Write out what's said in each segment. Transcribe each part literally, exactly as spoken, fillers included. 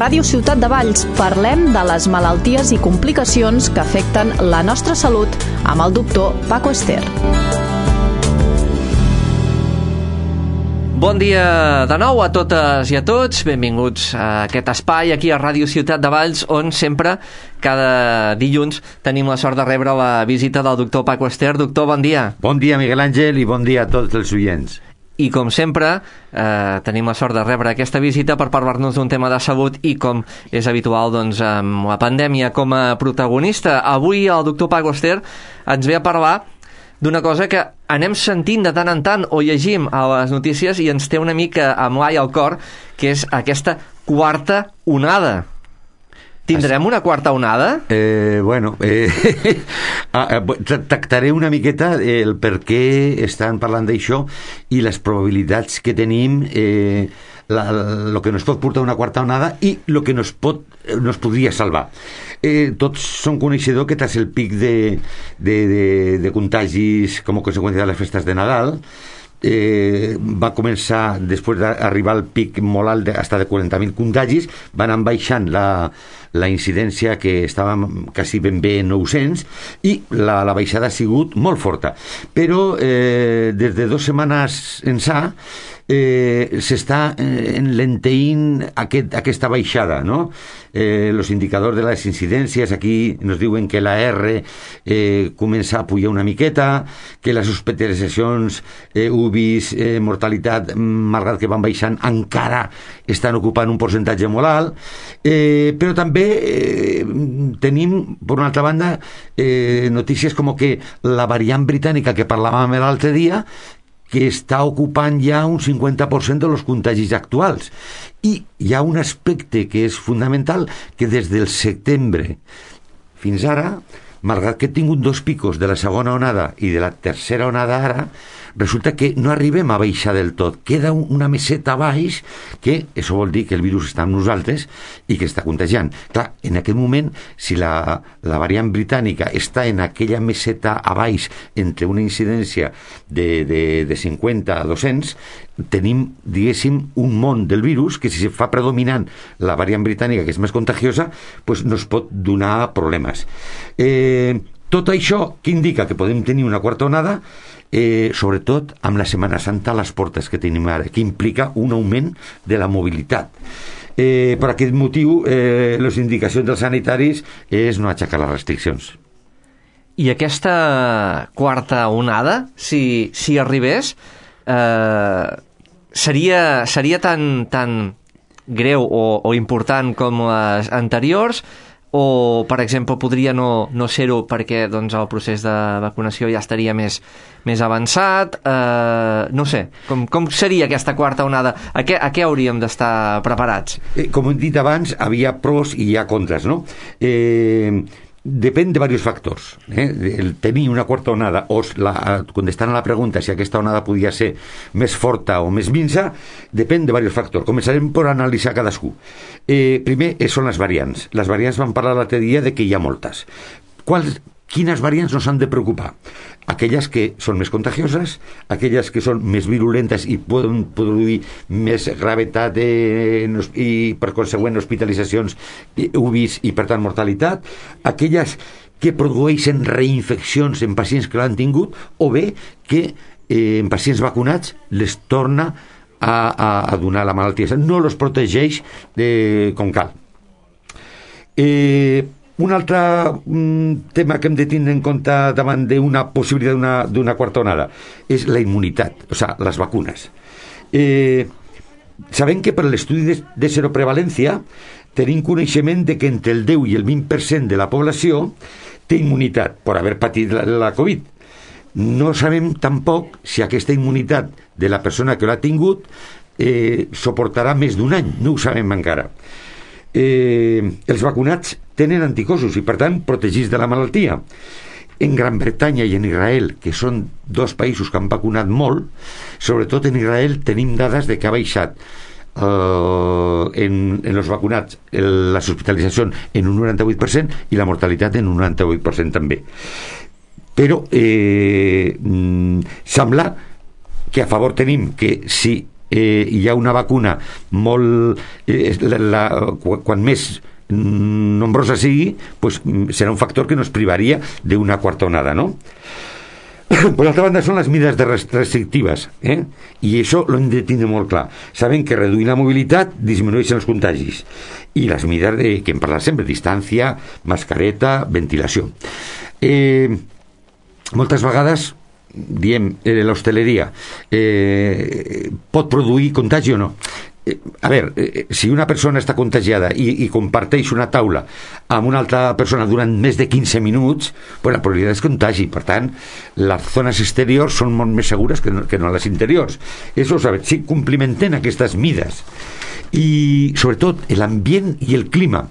Ràdio Ciutat de Valls parlem de les malalties i complicacions que afecten la nostra salut amb el doctor Paco Ester. Bon dia de nou a totes i a tots, benvinguts a aquest espai aquí a Ràdio Ciutat de Valls, on sempre, cada dilluns, tenim la sort de rebre la visita del doctor Paco Ester. Doctor, bon dia. Bon dia, Miguel Àngel, i bon dia a tots els oients. I com sempre, eh, tenim la sort de rebre aquesta visita per parlar-nos d'un tema de salut i, com és habitual, doncs, amb la pandèmia com a protagonista. Avui el doctor Paco Ester ens ve a parlar d'una cosa que anem sentint de tant en tant o llegim a les notícies i ens té una mica amb l'ai al cor, que és aquesta quarta onada. Tindrem una quarta onada? Eh, bueno, eh, tractaré una miqueta el per què estan parlant d'això i les probabilitats que tenim, eh, la, lo que nos pot portar una quarta onada i lo que nos, pot, nos podria salvar. Eh, tots som coneixedors que tras el pic de, de, de, de contagis com a conseqüència de les festes de Nadal, Eh, va començar, després d'arribar al pic molt alt de, hasta de quaranta mil contagis, van anar baixant la, la incidència, que estava quasi ben bé en nou-cents, i la, la baixada ha sigut molt forta, però eh, des de dues setmanes ençà eh, s'està eh, enlenteint aquest, aquesta baixada, no? Eh, los indicadors de les incidències aquí nos diuen que la R eh, comença a pujar una miqueta, que les hospitalitzacions, eh, U B Is, eh, mortalitat, malgrat que van baixant, encara estan ocupant un percentatge molt alt, eh, però també eh, tenim, per una altra banda, eh, notícies com que la variant britànica que parlàvem l'altre dia, que està ocupant ja un cinquanta per cent dels contagis actuals. I hi ha un aspecte que és fonamental, que des del setembre fins ara, malgrat que he tingut dos picos de la segona onada i de la tercera onada ara, resulta que no arribem a baixar del tot. Queda una meseta baix, que això vol dir que el virus està amb nosaltres i que està contagiant. Clar, en aquest moment, si la, la variant britànica està en aquella meseta a baix entre una incidència de, de, de cinquanta a dos-cents, tenim, diguéssim, un món del virus que, si se fa predominant la variant britànica, que és més contagiosa, pues nos pot donar problemes. Eh, tot això, què indica? Que podem tenir una quarta onada, eh, sobretot amb la Setmana Santa a les portes que tenim ara, que implica un augment de la mobilitat. Eh, per aquest motiu, eh, les indicacions dels sanitaris és no aixecar les restriccions. I aquesta quarta onada, si, si arribés, eh, seria, seria tan, tan greu o, o important com les anteriors, o, per exemple, podria no, no ser-ho perquè, doncs, el procés de vacunació ja estaria més, més avançat? Eh, no sé, com, com seria aquesta quarta onada? A què, a què hauríem d'estar preparats? Eh, com hem dit abans, havia pros i hi ha contres, no? Eh... Depèn de diversos factors, eh? El tenir una quarta onada o la, contestant a la pregunta si aquesta onada podia ser més forta o més minsa, depèn de diversos factors. Començarem per analitzar cadascú. Eh, primer són les variants. Les variants van parlar l'altre dia de que hi ha moltes. Quals, quines variants nos han de preocupar? Aquelles que són més contagioses, aquelles que són més virulentes i poden produir més gravetat de, i, per consegüent, hospitalitzacions, U B Is i, per tant, mortalitat, aquelles que produeixen reinfeccions en pacients que l'han tingut, o bé que eh, en pacients vacunats les torna a, a, a donar la malaltia. No els protegeix eh, com cal. Eh... Un altre um, tema que hem de tindre en compte davant d'una possibilitat d'una, d'una quarta onada és la immunitat, o sigui, les vacunes. Eh, sabem que per l'estudi de, de seroprevalència tenim coneixement de que entre el deu i el vint per cent de la població té immunitat per haver patit la, la Covid. No sabem tampoc si aquesta immunitat de la persona que l'ha tingut eh, suportarà més d'un any, no ho sabem encara. Eh, els vacunats tenen anticossos i, per tant, protegits de la malaltia. En Gran Bretanya i en Israel, que són dos països que han vacunat molt, sobretot en Israel tenim dades de que ha baixat eh, en, en els vacunats el, les hospitalitzacions en un noranta-vuit per cent i la mortalitat en un noranta-vuit per cent també. Però eh, mm, sembla que a favor tenim que si eh, hi ha una vacuna molt... Eh, la, la, quan més nombrosa sigui, pues, serà un factor que nos privaria d'una quarta onada, no? Per altra banda, són les mides de restrictives, eh? I això ho hem de tindre molt clar. Sabem que reduir la mobilitat disminueixen els contagis. I les mides de, que hem parlat sempre, distància, mascareta, ventilació. Eh, moltes vegades diem, eh, l'hostaleria eh, pot produir contagi o no? Eh, a veure, eh, si una persona està contagiada i, i comparteix una taula amb una altra persona durant més de quinze minuts, pues la probabilitat és contagi. Per tant, les zones exteriors són molt més segures que no, que no les interiors. Això ho sabem. Si complimenten aquestes mides i sobretot l'ambient i el clima.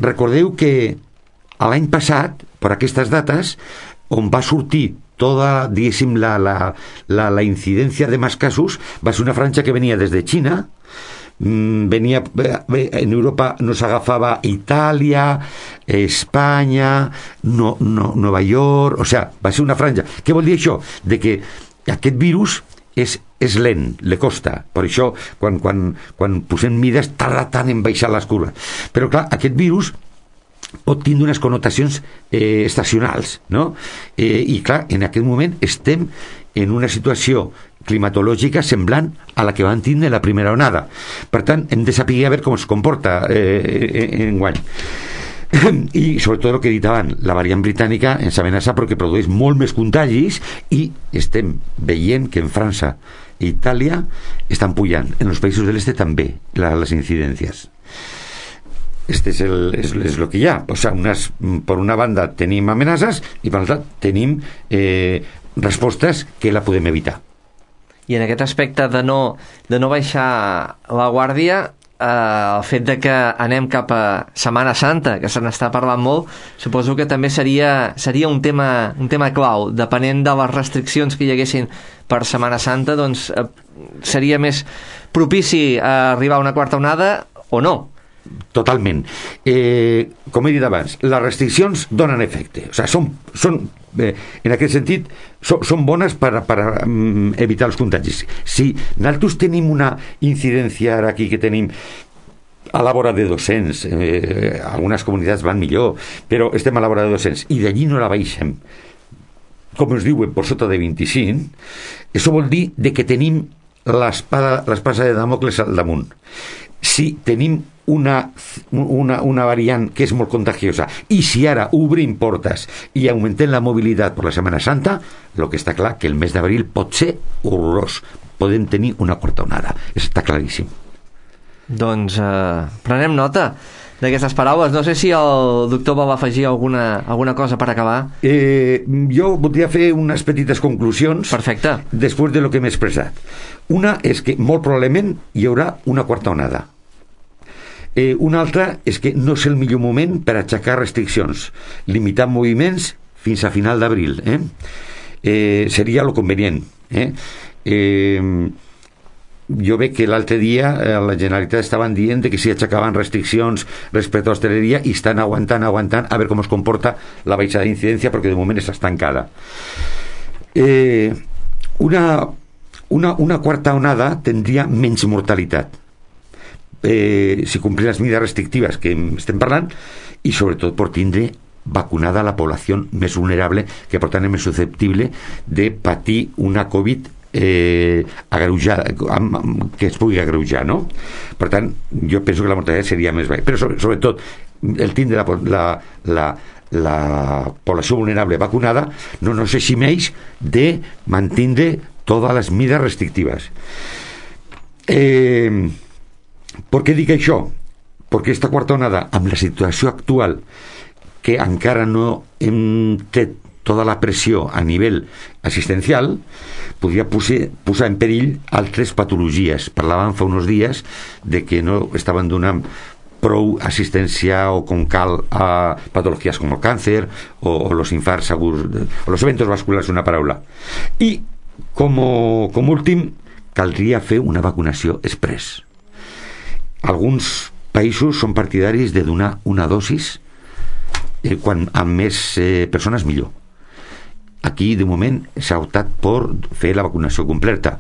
Recordeu que l'any passat, per aquestes dates, on va sortir tota, diguéssim, la, la, la, la incidència de més casos, va ser una franja que venia des de Xina, venia en Europa, nos agafava Itàlia, Espanya, no, no, Nova York, o sigui, va ser una franja. Què vol dir això? De que aquest virus és, és lent, le costa. Per això, quan, quan, quan posem mides, tarda tant en baixar les curves. Però clar, aquest virus pot tindre unes connotacions eh, estacionals, no? Eh, i clar, en aquest moment estem en una situació climatològica semblant a la que van tindre la primera onada. Per tant, hem de saber a veure com es comporta eh, en guany. I sobretot el que he dit abans, la variant britànica ens amenaça perquè produeix molt més contagis i estem veient que en França i Itàlia estan pujant, en els països de l'est també la, les incidències. Este és el, és, és lo que hi ha. O sea, unas, por una banda tenim amenaces i per l'altra tenim eh, respostes que la podem evitar. I en aquest aspecte de no, de no baixar la guàrdia, eh, el fet de que anem cap a Setmana Santa, que se n'està parlant molt, suposo que també seria, seria un tema, un tema clau. Depenent de les restriccions que hi haguessin per Setmana Santa, doncs eh, seria més propici a arribar a una quarta onada o no? Totalment. Eh, com he dit abans, les restriccions donen efecte. O sigui, són, són eh, en aquest sentit, són, són bones per, per um, evitar els contagis. Si nosaltres tenim una incidència ara aquí que tenim a la vora de dos-cents, eh, algunes comunitats van millor, però estem a la vora de dos-cents i d'allí no la baixem, com es diuen, per sota de vint-i-cinc, això vol dir de que tenim l'espada, l'espasa de Damocles al damunt. Si tenim una, una, una variant que és molt contagiosa i si ara obrim portes i augmentem la mobilitat per la Setmana Santa, el que està clar que el mes d'abril pot ser horrorós, podem tenir una quarta onada, està claríssim. Doncs eh, prenem nota d'aquestes paraules. No sé si el doctor vol afegir alguna, alguna cosa per acabar. Eh, jo voldria fer unes petites conclusions. Perfecte. Després de lo que m'he expressat. Una és que molt probablement hi haurà una quarta onada. Eh, una altra és que no és el millor moment per aixecar restriccions, limitar moviments fins a final d'abril. Eh? Eh, seria lo convenient. Eh? Eh, jo veig que l'altre dia eh, la Generalitat estaven dient que si aixecaven restriccions respecte a l'hostaleria i estan aguantant, aguantant a veure com es comporta la baixada d'incidència perquè de moment està estancada. Eh, una, una, una quarta onada tindria menys mortalitat. Eh, si complir les mides restrictives que estem parlant i sobretot per tindre vacunada la població més vulnerable, que per tant és més susceptible de patir una Covid eh, agreujada, que es pugui agreujar, no? Per tant, jo penso que la mortalitat seria més baixa, però sobre, sobretot el tindre la, la, la, la població vulnerable vacunada no nos eximeix de mantindre totes les mides restrictives. Eh... Per què dic això? Perquè aquesta quarta onada, amb la situació actual, que encara no hem tret tota la pressió a nivell assistencial, podria posar, posar en perill altres patologies. Parlàvem fa uns dies de que no estaven donant prou assistència o com cal a patologies com el càncer o, o los infarts aguts, o los eventos vasculars, una paraula. I, com, com últim, caldria fer una vacunació express. Alguns països són partidaris de donar una dosis eh, quan amb més eh, persones millor. Aquí de moment s'ha optat per fer la vacunació completa,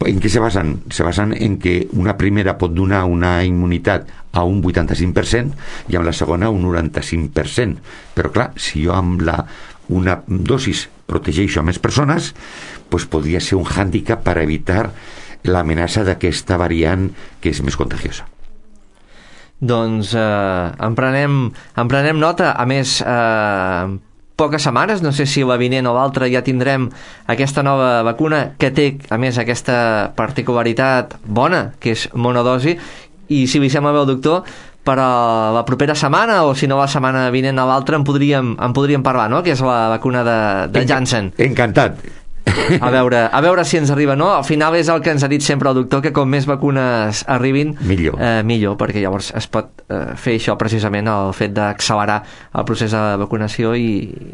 En què se basen? Se basen en que una primera pot donar una immunitat a un vuitanta-cinc per cent i amb la segona un noranta-cinc per cent. Però clar, si jo amb la, una dosis protegeixo a més persones, doncs podria ser un hàndicap per evitar l'amenaça d'aquesta variant que és més contagiosa. Doncs eh, en, prenem, en prenem nota. A més, eh, poques setmanes, no sé si la vinent o l'altra ja tindrem aquesta nova vacuna que té, a més, aquesta particularitat bona, que és monodosi, i si li sembla bé el doctor, per a la propera setmana, o si no la setmana vinent a l'altra, en podríem, en podríem parlar, no?, que és la vacuna de, de Janssen. Encantat. A veure, a veure si ens arriba, no? Al final és el que ens ha dit sempre el doctor, que com més vacunes arribin, millor, eh, millor perquè llavors es pot eh, fer això precisament, el fet d'accelerar el procés de vacunació i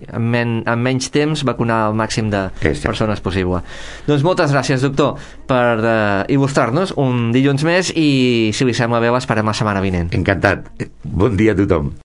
en, men en menys temps vacunar el màxim de Exacte. persones possible. Doncs moltes gràcies, doctor, per eh, il·lustrar-nos un dilluns més, i si li sembla bé l'esperem la setmana vinent. Encantat. Bon dia a tothom.